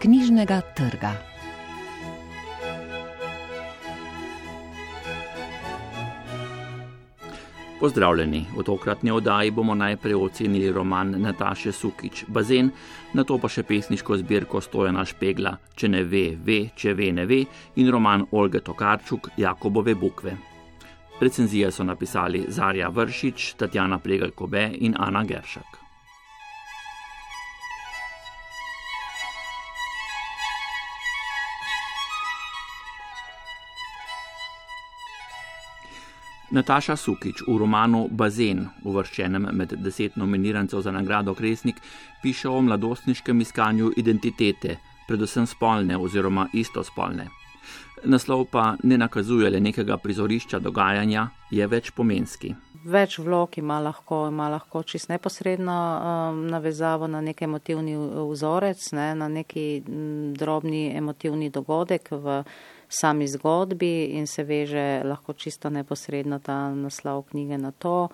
knjižnega trga. Pozdravljeni, v tokratni oddaji bomo najprej ocenili roman Nataše Sukič Bazen, nato pa še pesniško zbirko Stojana Špegla Če ne ve, ve, če ve, ne ve in roman Olge Tokarčuk Jakobove bukve. Recenzije so napisali Zarja Vršič, Tatjana Pregl-Kobe in Ana Geršak. Nataša Sukič v romanu Bazen, uvrščenem med 10 nominirancev za nagrado Kresnik, piše o mladostniškem iskanju identitete, predvsem spolne oziroma istospolne. Naslov pa ne nakazuje le nekega prizorišča dogajanja, je več pomenski. Več vlog ima lahko čisto neposredno navezavo na nek emotivni vzorec, na neki drobni emotivni dogodek v sami zgodbi in se veže lahko čisto neposredno ta naslov knjige na to.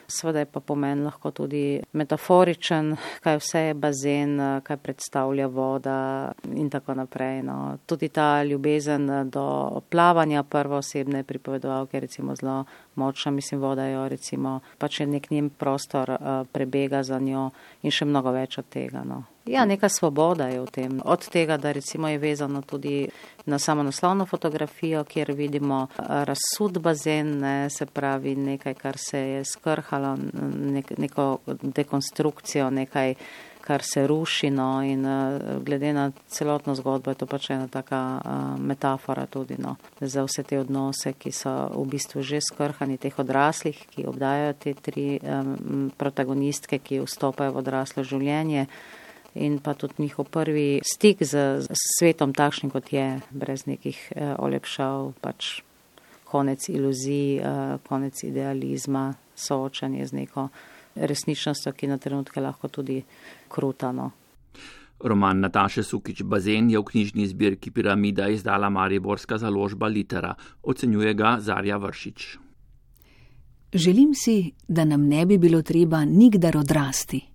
Seveda je pa pomen lahko tudi metaforičen, kaj vse je bazen, kaj predstavlja voda in tako naprej. No. Tudi ta ljubezen do plavanja prvoosebne pripovedovalke recimo zelo močna, voda jo recimo, pač je nek njen prostor prebega za njo in še mnogo več od tega. No. Ja, neka svoboda je v tem. Od tega, da recimo je vezano tudi na samo naslovno fotografijo, kjer vidimo razsud bazen, se pravi nekaj, kar se je skrhalo, neko dekonstrukcijo, nekaj, kar se ruši, no, in glede na celotno zgodbo je to pač ena taka metafora tudi, no, za vse te odnose, ki so v bistvu že skrhani, teh odraslih, ki obdajajo te 3 protagonistke, ki vstopajo v odraslo življenje. In pa tudi njihov prvi stik z svetom takšnim, kot je, brez nekih olepšav, pač konec iluzij, konec idealizma, soočanje z neko resničnostjo, ki na trenutke lahko tudi krutano. Roman Nataše Sukič Bazen je v knjižni zbirki Piramida izdala mariborska založba Litera, ocenjuje ga Zarja Vršič. Želim si, da nam ne bi bilo treba nikdar odrasti.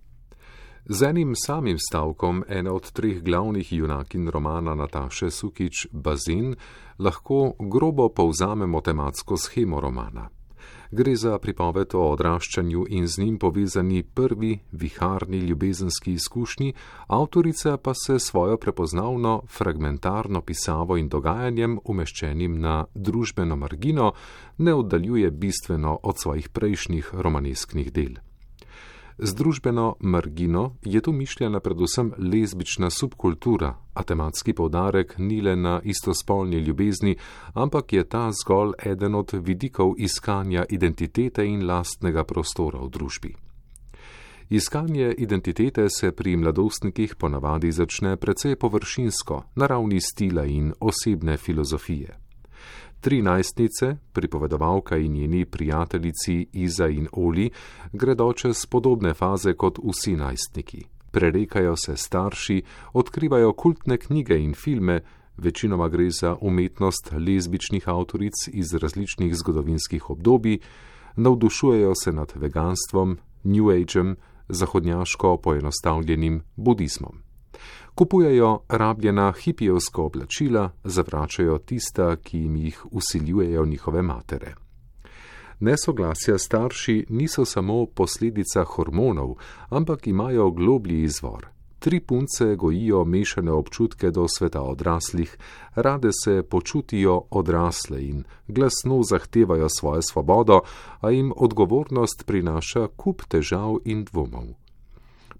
Z enim samim stavkom ena od 3 glavnih junakinj romana Nataše Sukič Bazen lahko grobo povzamemo tematsko shemo romana. Gre za pripoved o odraščanju in z njim povezani prvi viharni ljubezenski izkušnji, avtorica pa se svojo prepoznavno fragmentarno pisavo in dogajanjem, umeščenim na družbeno margino, ne oddaljuje bistveno od svojih prejšnjih romanesknih del. Z družbeno margino je tu mišljena predvsem lezbična subkultura, a tematski poudarek ni le na istospolni ljubezni, ampak je ta zgolj eden od vidikov iskanja identitete in lastnega prostora v družbi. Iskanje identitete se pri mladostnikih ponavadi začne precej površinsko, na ravni stila in osebne filozofije. 3 najstnice, pripovedovalka in njeni prijateljici Iza in Oli, gredo čez podobne faze kot vsi najstniki. Prerekajo se starši, odkrivajo kultne knjige in filme, večinoma gre za umetnost lezbičnih avtoric iz različnih zgodovinskih obdobij, navdušujejo se nad veganstvom, New Ageom, zahodnjaško poenostavljenim budizmom. Kupujejo rabljena hipijevska oblačila, zavračajo tista, ki jim jih vsiljujejo njihove matere. Nesoglasja starši niso samo posledica hormonov, ampak imajo globlji izvor. 3 punce gojijo mešane občutke do sveta odraslih, rade se počutijo odrasle in glasno zahtevajo svojo svobodo, a jim odgovornost prinaša kup težav in dvomov.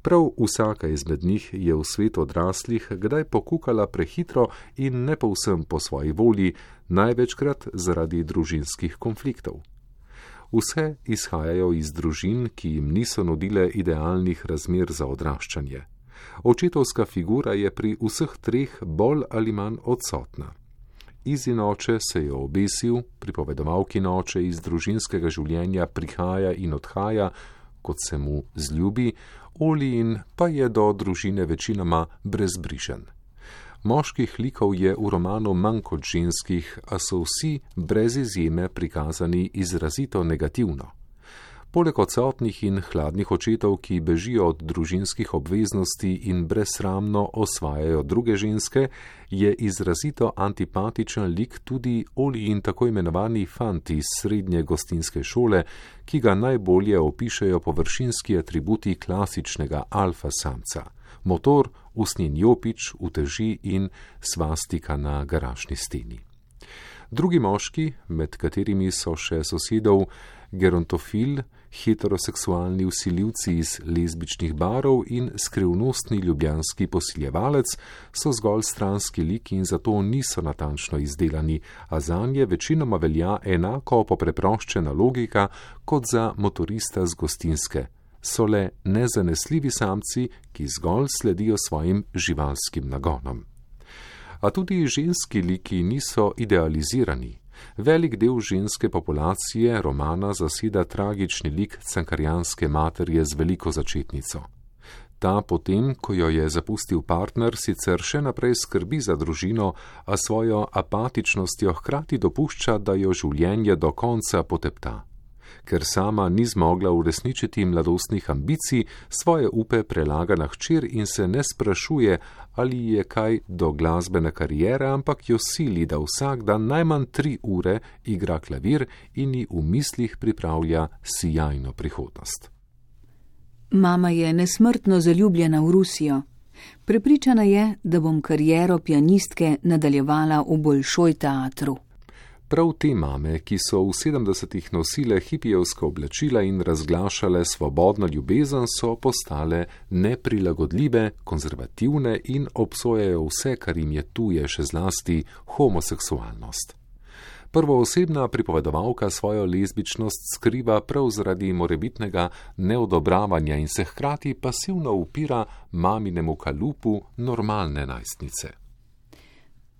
Prav vsaka izmed njih je v svet odraslih kdaj pokukala prehitro in ne povsem po svoji volji, največkrat zaradi družinskih konfliktov. Vse izhajajo iz družin, ki jim niso nudile idealnih razmer za odraščanje. Očetovska figura je pri vseh 3 bolj ali manj odsotna. Izin oče se je obesil, pripovedovalkin oče iz družinskega življenja prihaja in odhaja, kot se mu zljubi, Olijin pa je do družine večinoma brezbrižen. Moških likov je v romanu manj kot ženskih, a so vsi brez izjeme prikazani izrazito negativno. Poleg odsotnih in hladnih očetov, ki bežijo od družinskih obveznosti in brezsramno osvajajo druge ženske, je izrazito antipatičen lik tudi Olijin tako imenovani fant iz srednje gostinske šole, ki ga najbolje opišejo površinski atributi klasičnega alfa samca: motor, usnjen jopič, uteži in svastika na garažni steni. Drugi moški, med katerimi so še sosedov gerontofil, heteroseksualni vsiljivci iz lezbičnih barov in skrivnostni ljubljanski posiljevalec, so zgolj stranski liki in zato niso natančno izdelani, a zanje večinoma velja enako popreproščena logika kot za motorista z gostinske. So le nezanesljivi samci, ki zgolj sledijo svojim živalskim nagonom. A tudi ženski liki niso idealizirani. Velik del ženske populacije romana zaseda tragični lik cankarjanske materje z veliko začetnico. Ta potem, ko jo je zapustil partner, sicer še naprej skrbi za družino, a svojo apatičnostjo hkrati dopušča, da jo življenje do konca potepta. Ker sama ni zmogla uresničiti mladostnih ambicij, svoje upe prelaga na hčer in se ne sprašuje, ali je kaj do glasbene kariere, ampak jo sili, da vsak dan najmanj 3 ure igra klavir in ji v mislih pripravlja sijajno prihodnost. Mama je nesmrtno zaljubljena v Rusijo. Prepričana je, da bom kariero pianistke nadaljevala v Bolšoj teatru. Prav te mame, ki so v 70-ih nosile hipijevska oblačila in razglašale svobodno ljubezen, so postale neprilagodljive, konzervativne in obsojajo vse, kar jim je tuje, še zlasti homoseksualnost. Prvoosebna pripovedovalka svojo lezbičnost skriva prav zaradi morebitnega neodobravanja in se hkrati pasivno upira maminemu kalupu normalne najstnice.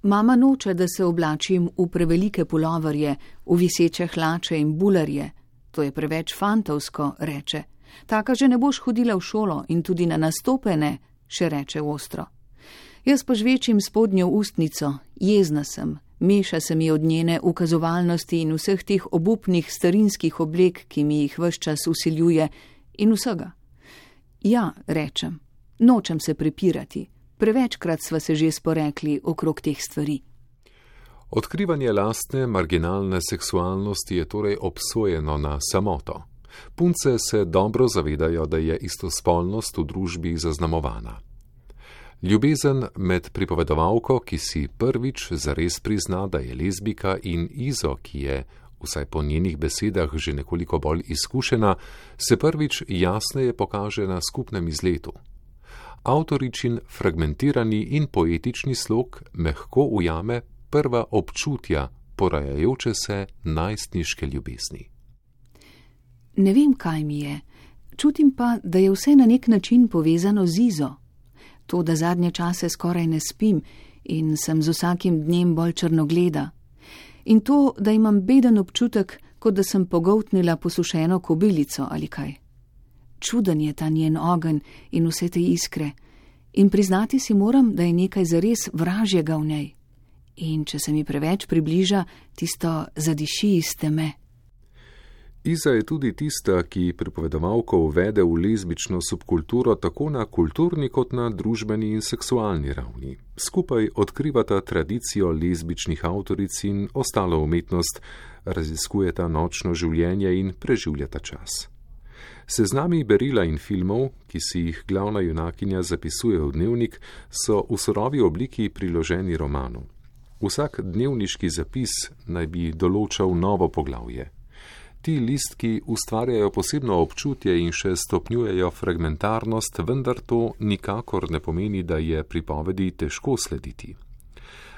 Mama noče, da se oblačim v prevelike puloverje, v viseče hlače in bularje. To je preveč fantovsko, reče. Taka že ne boš hodila v šolo in tudi na nastope ne, še reče ostro. Jaz požvečim spodnjo ustnico, jezna sem, meša se mi od njene ukazovalnosti in vseh teh obupnih starinskih oblek, ki mi jih ves čas vsiljuje, in vsega. Ja, rečem, nočem se prepirati. Prevečkrat sva se že sporekli okrog teh stvari. Odkrivanje lastne marginalne seksualnosti je torej obsojeno na samoto. Punce se dobro zavedajo, da je istospolnost v družbi zaznamovana. Ljubezen med pripovedovalko, ki si prvič zares prizna, da je lezbika, in Izo, ki je, vsaj po njenih besedah, že nekoliko bolj izkušena, se prvič jasneje pokaže na skupnem izletu. Avtoričin fragmentirani in poetični slog mehko ujame prva občutja porajajoče se najstniške ljubezni. Ne vem, kaj mi je. Čutim pa, da je vse na nek način povezano z Izo. To, da zadnje čase skoraj ne spim in sem z vsakim dnem bolj črnogleda. In to, da imam beden občutek, kot da sem pogoltnila posušeno kobilico ali kaj. Čuden je ta njen ogenj in vse te iskre. In priznati si moram, da je nekaj zares vražjega v njej. In če se mi preveč približa, tisto zadiši iz teme. Iza je tudi tista, ki pripovedovalko uvede v lezbično subkulturo tako na kulturni kot na družbeni in seksualni ravni. Skupaj odkrivata tradicijo lezbičnih avtoric in ostalo umetnost, raziskujeta nočno življenje in preživljata čas. Seznami berila in filmov, ki si jih glavna junakinja zapisuje v dnevnik, so v surovi obliki priloženi romanu. Vsak dnevniški zapis naj bi določal novo poglavje. Ti listki ustvarjajo posebno občutje in še stopnjujejo fragmentarnost, vendar to nikakor ne pomeni, da je pripovedi težko slediti.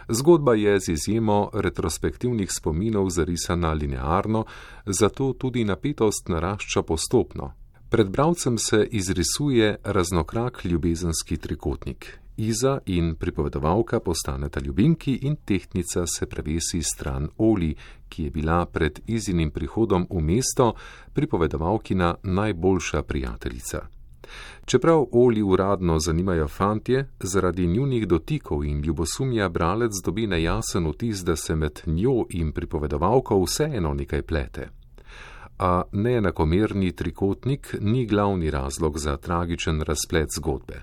Zgodba je z izjemo retrospektivnih spominov zarisana linearno, zato tudi napetost narašča postopno. Pred bralcem se izrisuje raznokrak ljubezenski trikotnik. Iza in pripovedovalka postaneta ljubimki in tehtnica se prevesi stran Oli, ki je bila pred Izinim prihodom v mesto pripovedovalkina najboljša prijateljica. Čeprav Oli uradno zanimajo fantje, zaradi njunih dotikov in ljubosumja bralec dobi nejasen vtis, da se med njo in pripovedovalko vseeno nekaj plete. a neenakomerni trikotnik ni glavni razlog za tragičen razplet zgodbe.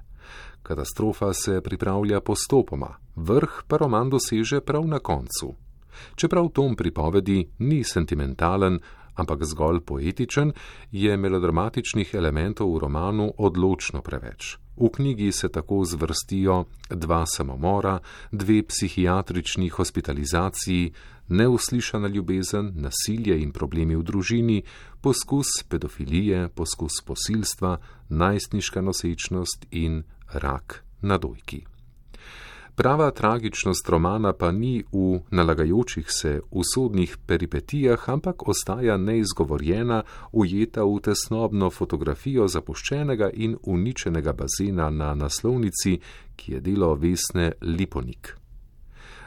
Katastrofa se pripravlja postopoma, vrh pa roman doseže prav na koncu. Čeprav tom pripovedi ni sentimentalen, ampak zgolj poetičen, je melodramatičnih elementov v romanu odločno preveč. V knjigi se tako zvrstijo 2 samomora, 2 psihiatrični hospitalizaciji, neuslišana ljubezen, nasilje in problemi v družini, poskus pedofilije, poskus posilstva, najstniška nosečnost in rak na dojki. Prava tragičnost romana pa ni v nalagajočih se usodnih peripetijah, ampak ostaja neizgovorjena, ujeta v tesnobno fotografijo zapuščenega in uničenega bazena na naslovnici, ki je delo Vesne Liponik.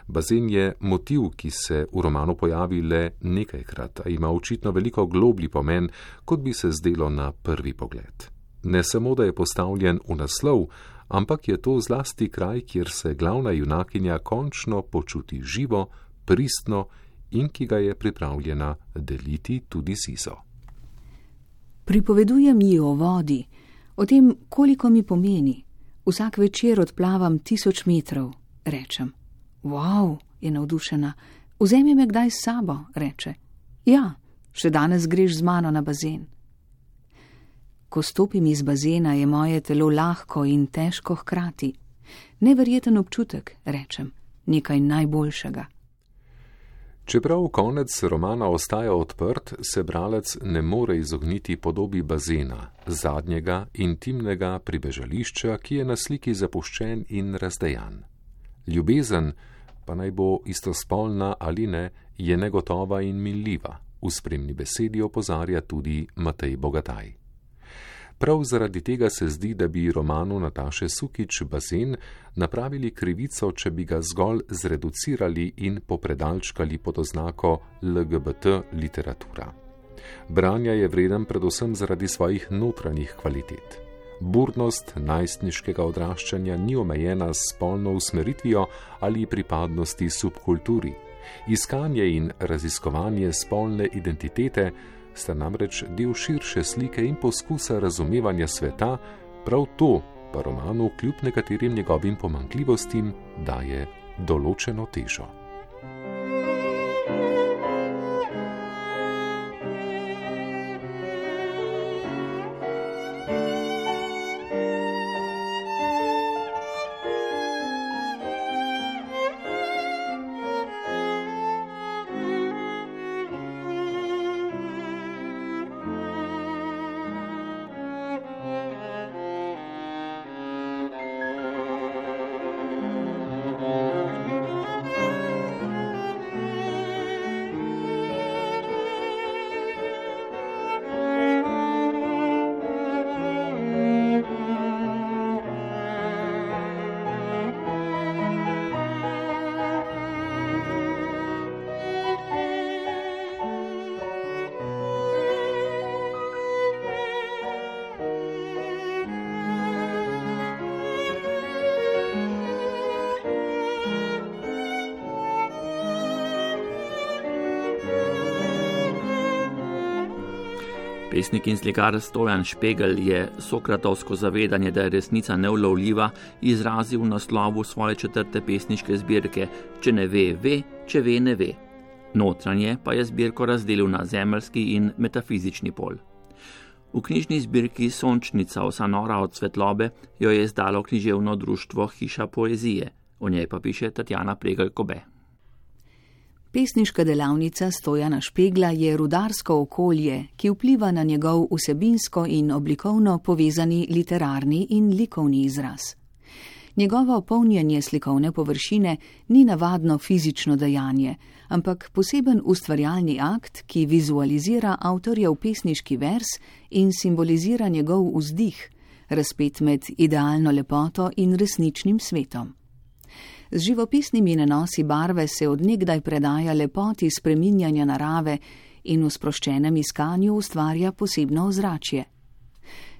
Bazen je motiv, ki se v romanu pojavi le nekajkrat, a ima očitno veliko globlji pomen, kot bi se zdelo na prvi pogled. Ne samo, da je postavljen v naslov, ampak je to zlasti kraj, kjer se glavna junakinja končno počuti živo, pristno in ki ga je pripravljena deliti tudi z Izo. Pripovedujem ji o vodi, o tem, koliko mi pomeni. Vsak večer odplavam 1000 metrov, rečem. Wow, je navdušena. Vzemi me kdaj s sabo, reče. Ja, še danes greš z mano na bazen. Ko stopim iz bazena, je moje telo lahko in težko hkrati. Neverjeten občutek, rečem, nekaj najboljšega. Čeprav konec romana ostaja odprt, se bralec ne more izogniti podobi bazena, zadnjega intimnega pribežališča, ki je na sliki zapuščen in razdejan. Ljubezen, pa naj bo istospolna ali ne, je negotova in minljiva. V spremni besedi opozarja tudi Matej Bogataj. Prav zaradi tega se zdi, da bi romanu Nataše Sukič Bazen napravili krivico, če bi ga zgolj zreducirali in popredalčkali pod oznako LGBT literatura. Branja je vreden predvsem zaradi svojih notranjih kvalitet. Burnost najstniškega odraščanja ni omejena s spolno usmeritvijo ali pripadnosti subkulturi. Iskanje in raziskovanje spolne identitete sta namreč del širše slike in poskusa razumevanja sveta, prav to pa romanu kljub nekaterim njegovim pomanjkljivostim daje določeno težo. Pesnik in slikar Stojan Špegel je sokratovsko zavedanje, da je resnica neulovljiva, izrazil v naslovu svoje 4. pesniške zbirke Če ne ve, ve, če ve, ne ve. Notranje pa je zbirko razdelil na zemeljski in metafizični pol. V knjižni zbirki Sončnica, vsa nora od svetlobe, jo je izdalo književno društvo Hiša poezije, o njej pa piše Tatjana Pregl-Kobe. Pesniška delavnica Stojana Špegla je rudarsko okolje, ki vpliva na njegov vsebinsko in oblikovno povezani literarni in likovni izraz. Njegovo polnjenje slikovne površine ni navadno fizično dejanje, ampak poseben ustvarjalni akt, ki vizualizira avtorjev pesniški vers in simbolizira njegov vzdih, razpet med idealno lepoto in resničnim svetom. Z živopisnimi nanosi barve se od nekdaj predaja lepoti spreminjanja narave in v sproščenem iskanju ustvarja posebno ozračje.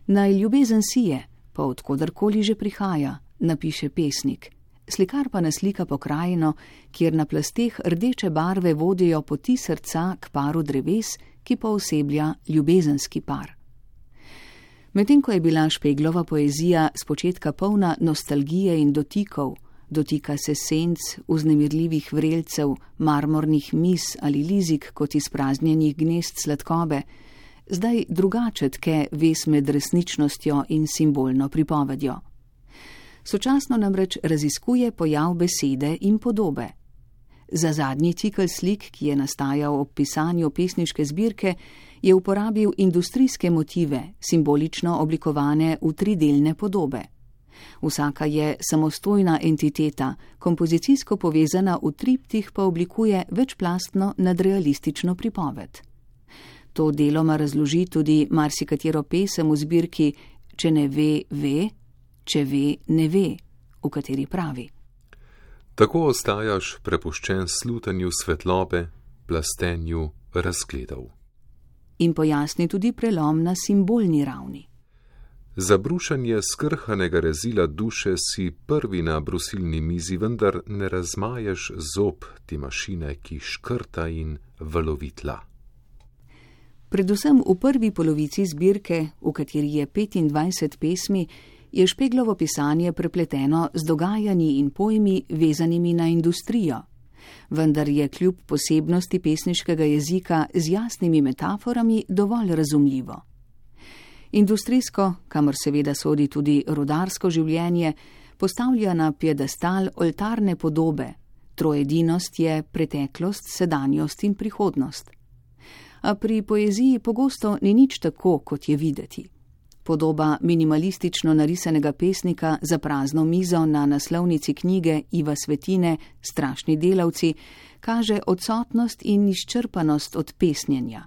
Naj ljubezen sije, pa odkodarkoli že prihaja, napiše pesnik. Slikar pa naslika pokrajino, kjer na plasteh rdeče barve vodijo poti srca k paru dreves, ki pooseblja ljubezenski par. Medtem ko je bila Špeglova poezija spočetka polna nostalgije in dotikov, dotika se senc, vznemirljivih vrelcev, marmornih mis ali lizik kot izpraznjenih gnezd sladkobe, zdaj drugače tke vez med resničnostjo in simbolno pripovedjo. Sočasno namreč raziskuje pojav besede in podobe. Za zadnji cikel slik, ki je nastajal ob pisanju pesniške zbirke, je uporabil industrijske motive, simbolično oblikovane v tridelne podobe. Vsaka je samostojna entiteta, kompozicijsko povezana v triptih pa oblikuje večplastno nadrealistično pripoved. To deloma razloži tudi marsikatero pesem v zbirki Če ne ve, ve, če ve, ne ve, v kateri pravi: Tako ostajaš prepuščen slutanju svetlobe, plastenju razgledov. In pojasni tudi prelom na simbolni ravni. Za brušanje skrhanega rezila duše si prvi na brusilni mizi, vendar ne razmaješ zob ti mašine, ki škrta in valovi tla. Predvsem v prvi polovici zbirke, v kateri je 25 pesmi, je Špeglovo pisanje prepleteno z dogajanji in pojmi vezanimi na industrijo, vendar je kljub posebnosti pesniškega jezika z jasnimi metaforami dovolj razumljivo. Industrijsko, kamor seveda sodi tudi rudarsko življenje, postavlja na piedestal oltarne podobe, troedinost je preteklost, sedanjost in prihodnost. A pri poeziji pogosto ni nič tako, kot je videti. Podoba minimalistično narisanega pesnika za prazno mizo na naslovnici knjige Iva Svetine Strašni delavci kaže odsotnost in izčrpanost od pesnjenja.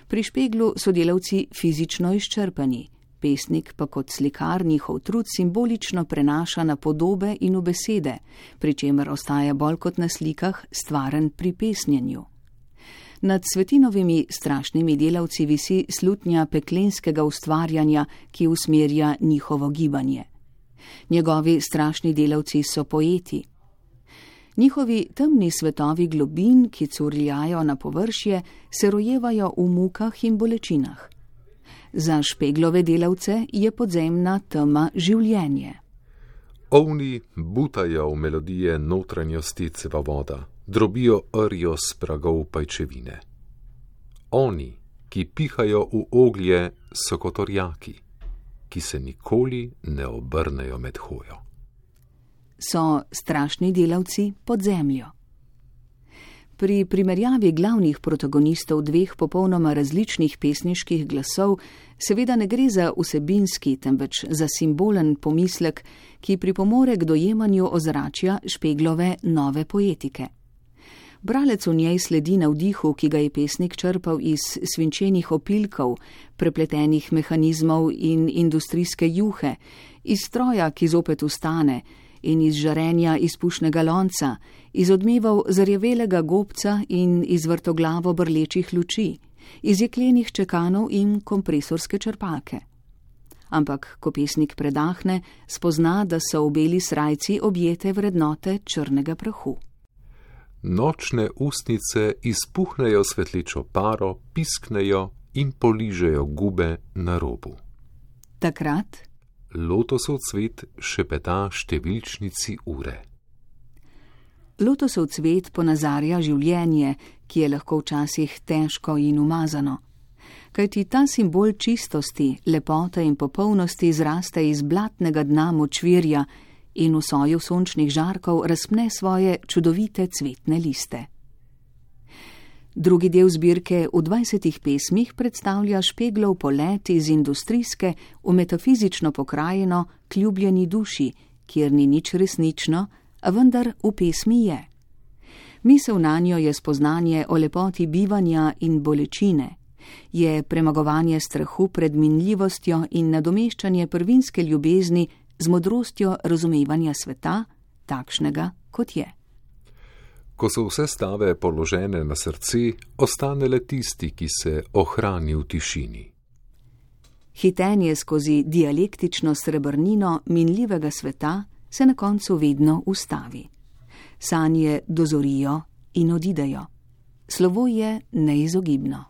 Pri Špeglu so delavci fizično izčrpani, pesnik pa kot slikar njihov trud simbolično prenaša na podobe in v besede, pri čemer ostaja bolj kot na slikah stvaren pri pesnjenju. Nad Svetinovimi strašnimi delavci visi slutnja peklenskega ustvarjanja, ki usmerja njihovo gibanje. Njegovi strašni delavci so poeti. Njihovi temni svetovi globin, ki curljajo na površje, se rojevajo v mukah in bolečinah. Za Špeglove delavce je podzemna tema življenje. Ovni butajo v melodije notranjosti cevavoda, drobijo rjo s pragov pajčevine. Oni, ki pihajo v oglje, so kot orjaki, ki se nikoli ne obrnejo med hojo. So strašni delavci pod zemljo. Pri primerjavi glavnih protagonistov dveh popolnoma različnih pesniških glasov seveda ne gre za vsebinski, temveč za simbolen pomislek, ki pripomore k dojemanju ozračja Špeglove nove poetike. Bralec v njej sledi navdihu, ki ga je pesnik črpal iz svinčenih opilkov, prepletenih mehanizmov in industrijske juhe, iz stroja, ki zopet vstane, in iz žarenja izpušnega lonca, iz odmevov zarjavelega gobca in iz vrtoglavo brlečih luči, iz jeklenih čekanov in kompresorske črpalke. Ampak, ko pesnik predahne, spozna, da so v beli srajci objete vrednote črnega prahu. Nočne ustnice izpuhnejo svetlečo paro, pisknejo in poližejo gube na robu. Takrat lotosov cvet šepeta številčnici ure. Lotosov cvet ponazarja življenje, ki je lahko včasih težko in umazano. Kajti ta simbol čistosti, lepote in popolnosti zraste iz blatnega dna močvirja in v soju sončnih žarkov razpne svoje čudovite cvetne liste. Drugi del zbirke v 20 pesmih predstavlja Špeglov polet iz industrijske v metafizično pokrajino k ljubljeni duši, kjer ni nič resnično, a vendar v pesmi je. Misel nanjo je spoznanje o lepoti bivanja in bolečine, je premagovanje strahu pred minljivostjo in nadomeščanje prvinske ljubezni z modrostjo razumevanja sveta, takšnega, kot je. Ko so vse stave položene na srce, ostane le tisti, ki se ohrani v tišini. Hitenje skozi dialektično srebrnino minljivega sveta se na koncu vedno ustavi. Sanje dozorijo in odidejo. Slovo je neizogibno.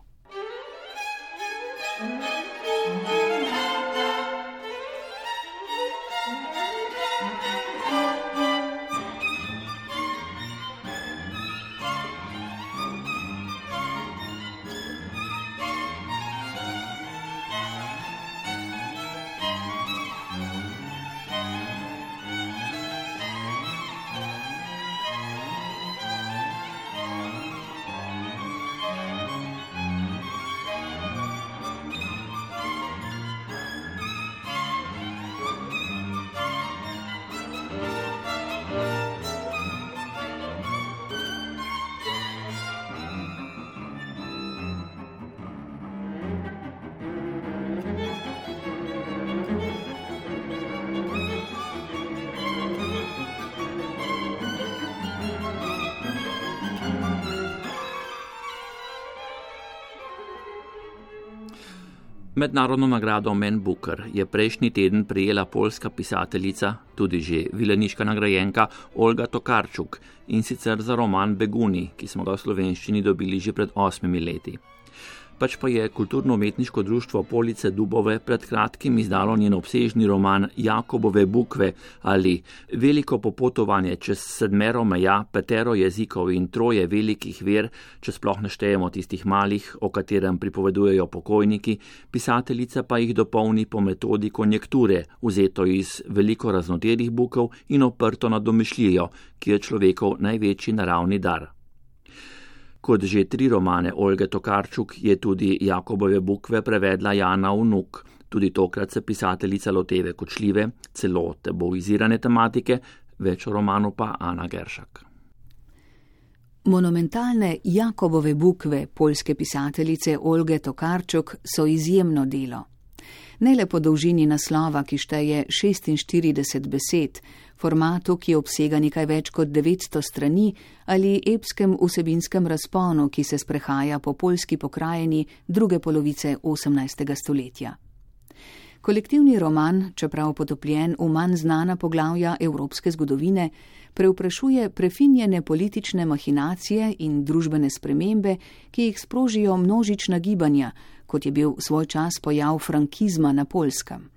Mednarodno nagrado Man Booker je prejšnji teden prejela poljska pisateljica, tudi že vileniška nagrajenka Olga Tokarczuk, in sicer za roman Beguni, ki smo ga v slovenščini dobili že pred 8 leti. Pač pa je kulturno-umetniško društvo Police Dubove pred kratkim izdalo njen obsežni roman Jakobove bukve ali Veliko popotovanje čez 7 meja, 5 jezikov in 3 velikih ver, če sploh ne štejemo tistih malih, o katerem pripovedujejo pokojniki, pisateljica pa jih dopolni po metodi konjekture, vzeto iz veliko raznoterih bukov in oprto na domišljijo, ki je človekov največji naravni dar. Kot že 3 romane Olge Tokarczuk je tudi Jakobove bukve prevedla Jana Vnuk. Tudi tokrat se pisateljica loteve kočljive, celo tabuizirane tematike, več o romanu pa Ana Geršak. Monumentalne Jakobove bukve poljske pisateljice Olge Tokarczuk so izjemno delo. Ne le po dolžini naslova, ki šteje 46 besed, formatu, ki obsega nekaj več kot 900 strani, ali epskem vsebinskem razponu, ki se sprehaja po poljski pokrajini druge polovice 18. stoletja. Kolektivni roman, čeprav potopljen v manj znana poglavja evropske zgodovine, preuprašuje prefinjene politične mahinacije in družbene spremembe, ki jih sprožijo množična gibanja, kot je bil svoj čas pojav frankizma na Poljskem.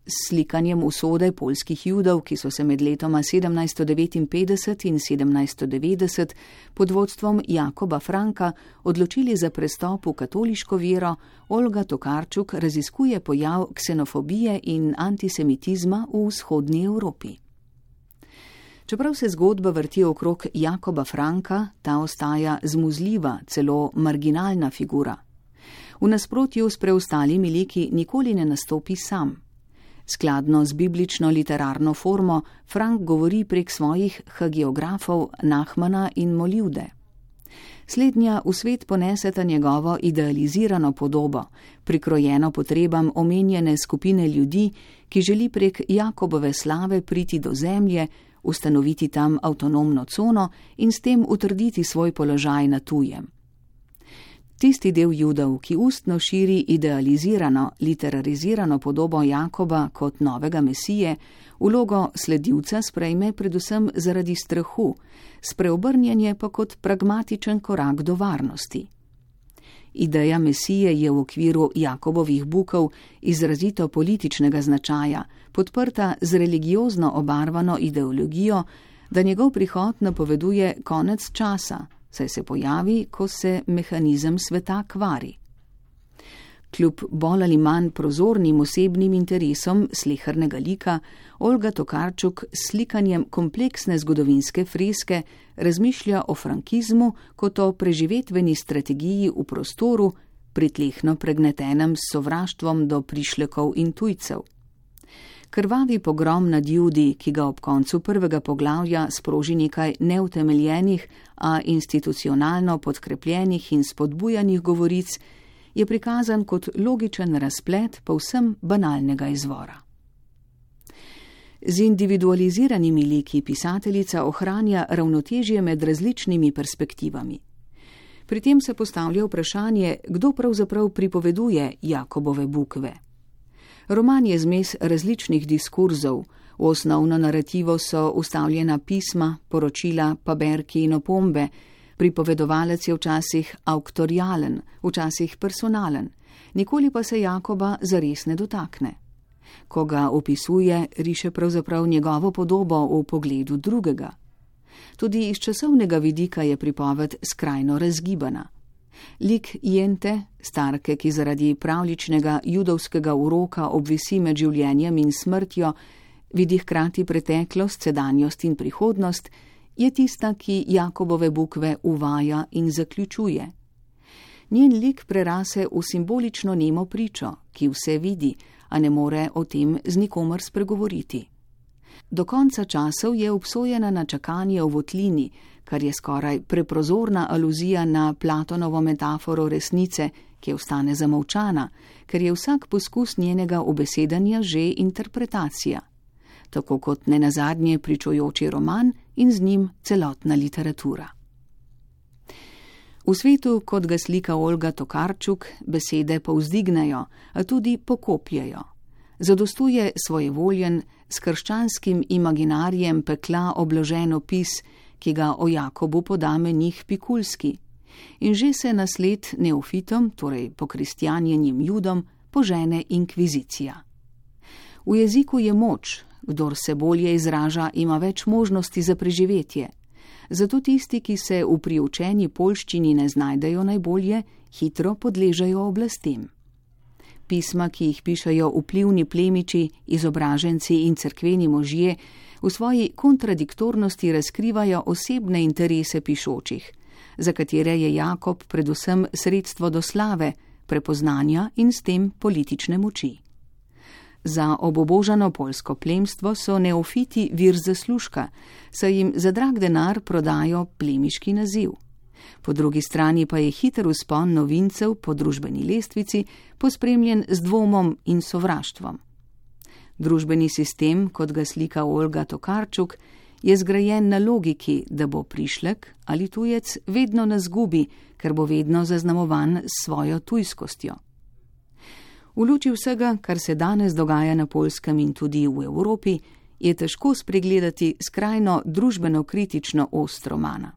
S slikanjem usode poljskih Judov, ki so se med letoma 1759 in 1790 pod vodstvom Jakoba Franka odločili za prestop v katoliško vero, Olga Tokarczuk raziskuje pojav ksenofobije in antisemitizma v vzhodni Evropi. Čeprav se zgodba vrti okrog Jakoba Franka, ta ostaja zmuzljiva, celo marginalna figura. V nasprotju s preostalimi liki nikoli ne nastopi sam. Skladno z biblično literarno formo, Frank govori prek svojih hagiografov Nahmana in Molivde. Slednja v svet poneseta njegovo idealizirano podobo, prikrojeno potrebam omenjene skupine ljudi, ki želi prek Jakobove slave priti do zemlje, ustanoviti tam avtonomno cono in s tem utrditi svoj položaj na tujem. Tisti del Judov, ki ustno širi idealizirano, literarizirano podobo Jakoba kot novega mesije, vlogo sledilca sprejme predvsem zaradi strahu, spreobrnjenje pa kot pragmatičen korak do varnosti. Ideja mesije je v okviru Jakobovih bukov izrazito političnega značaja, podprta z religiozno obarvano ideologijo, da njegov prihod napoveduje konec časa, saj se pojavi, ko se mehanizem sveta kvari. Kljub bolj ali manj prozornim osebnim interesom slehernega lika, Olga Tokarczuk s slikanjem kompleksne zgodovinske freske razmišlja o frankizmu kot o preživetveni strategiji v prostoru, pritlehno pregnetenem s sovraštvom do prišlekov in tujcev. Krvavi pogrom nad Judi, ki ga ob koncu 1. poglavja sproži nekaj neutemeljenih, a institucionalno podkrepljenih in spodbujanih govoric, je prikazan kot logičen razplet povsem banalnega izvora. Z individualiziranimi liki pisateljica ohranja ravnotežje med različnimi perspektivami. Pri tem se postavlja vprašanje, kdo pravzaprav pripoveduje Jakobove bukve. Roman je zmes različnih diskurzov, v osnovno narativo so vstavljena pisma, poročila, paberki in opombe, pripovedovalec je včasih auktorialen, včasih personalen, nikoli pa se Jakoba zares ne dotakne. Ko ga opisuje, riše pravzaprav njegovo podobo v pogledu drugega. Tudi iz časovnega vidika je pripoved skrajno razgibana. Lik Jente, starke, ki zaradi pravličnega judovskega uroka obvisi med življenjem in smrtjo, vidi hkrati preteklost, sedanjost in prihodnost, je tista, ki Jakobove bukve uvaja in zaključuje. Njen lik prerase v simbolično nemo pričo, ki vse vidi, a ne more o tem z nikomer spregovoriti. Do konca časov je obsojena na čakanje v votlini, kar je skoraj preprozorna aluzija na Platonovo metaforo resnice, ki ostane zamolčana, ker je vsak poskus njenega ubesedanja že interpretacija, tako kot nenazadnje pričujoči roman in z njim celotna literatura. V svetu, kot ga slika Olga Tokarčuk, besede povzdignejo, a tudi pokopljejo. Zadostuje svojevoljen, s krščanskim imaginarijem pekla obložen opis, ki ga o Jakobu poda menih Pikulski. In že se na sled neofitom, torej pokristjanjenim Judom, požene inkvizicija. V jeziku je moč, kdor se bolje izraža, ima več možnosti za preživetje. Zato tisti, ki se v priučeni poljščini ne znajdejo najbolje, hitro podležejo oblastem. Pisma, ki jih pišajo vplivni plemiči, izobraženci in cerkveni možje, v svoji kontradiktornosti razkrivajo osebne interese pišočih, za katere je Jakob predvsem sredstvo do slave, prepoznanja in s tem politične moči. Za obobožano poljsko plemstvo so neofiti vir zaslužka, saj jim za drag denar prodajo plemiški naziv. Po drugi strani pa je hiter vzpon novincev po družbeni lestvici pospremljen z dvomom in sovraštvom. Družbeni sistem, kot ga slika Olga Tokarčuk, je zgrajen na logiki, da bo prišlek ali tujec vedno na zgubi, ker bo vedno zaznamovan s svojo tujskostjo. V luči vsega, kar se danes dogaja na Poljskem in tudi v Evropi, je težko spregledati skrajno družbeno-kritično ost romana.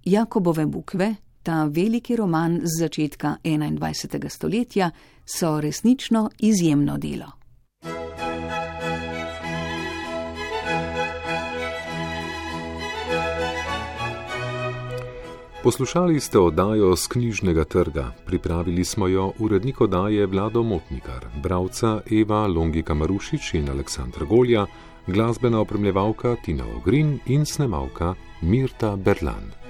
Jakobove bukve, ta veliki roman z začetka 21. stoletja, so resnično izjemno delo. Poslušali ste oddajo z Knjižnega trga. Pripravili smo jo urednik oddaje Vlado Motnikar, bralca Eva Longika Marušič in Aleksandra Golja, glasbena opremljevalka Tina Ogrin in snemalka Mirta Berlan.